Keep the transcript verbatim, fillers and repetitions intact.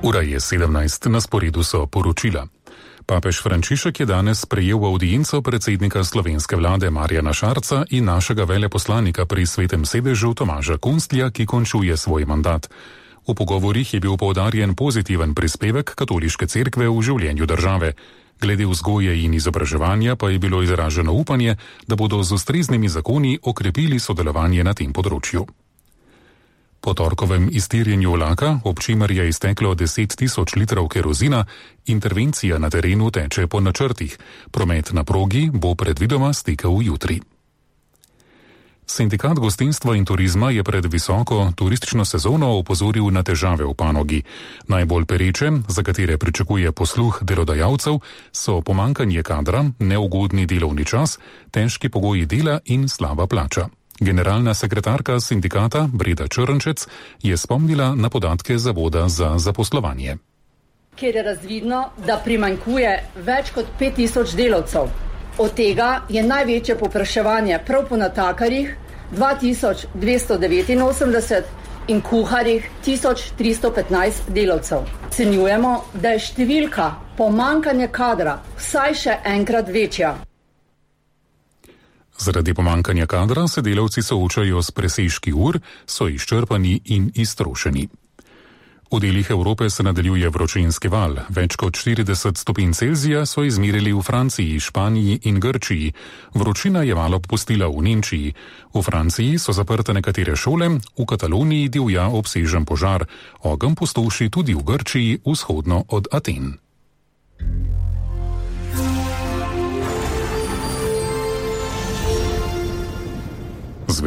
Ura je sedemnajst, na sporedu so poročila. Papež Frančišek je danes sprejel audienco predsednika slovenske vlade Marjana Šarca in našega veleposlanika pri Svetem sedežu Tomaža Kunstlja, ki končuje svoj mandat. V pogovorih je bil poudarjen pozitiven prispevek katoliške cerkve v življenju države. Glede vzgoje in izobraževanja pa je bilo izraženo upanje, da bodo z ustreznimi zakoni okrepili sodelovanje na tem področju. Po torkovem iztirjenju vlaka, ob čimer je izteklo deset tisoč litrov kerozina, intervencija na terenu teče po načrtih. Promet na progi bo predvidoma stekel jutri. Sindikat gostinstva in turizma je pred visoko turistično sezono opozoril na težave v panogi. Najbolj pereče, za katere pričakuje posluh delodajalcev, so pomanjkanje kadra, neugodni delovni čas, težki pogoji dela in slaba plača. Generalna sekretarka sindikata Breda Črnčec je spomnila na podatke Zavoda za zaposlovanje. Kjer je razvidno, da primanjkuje več kot pet tisoč delavcev. Od tega je največje povpraševanje prav po natakarjih dva tisoč dvesto devetinosemdeset in kuharjih tisoč tristo petnajst delavcev. Ocenjujemo, da je številka pomanjkanja kadra vsaj še enkrat večja. Zaradi pomanjkanja kadra se delavci soočajo s presežki ur, so izčrpani in iztrošeni. V delih Evrope se nadaljuje vročinski val. Več kot štirideset stopinj Celzija so izmerili v Franciji, Španiji in Grčiji. Vročina je malo popustila v Nemčiji. V Franciji so zaprte nekatere šole, v Kataloniji divja obsežen požar. Ogenj pustoši tudi v Grčiji, vzhodno od Aten.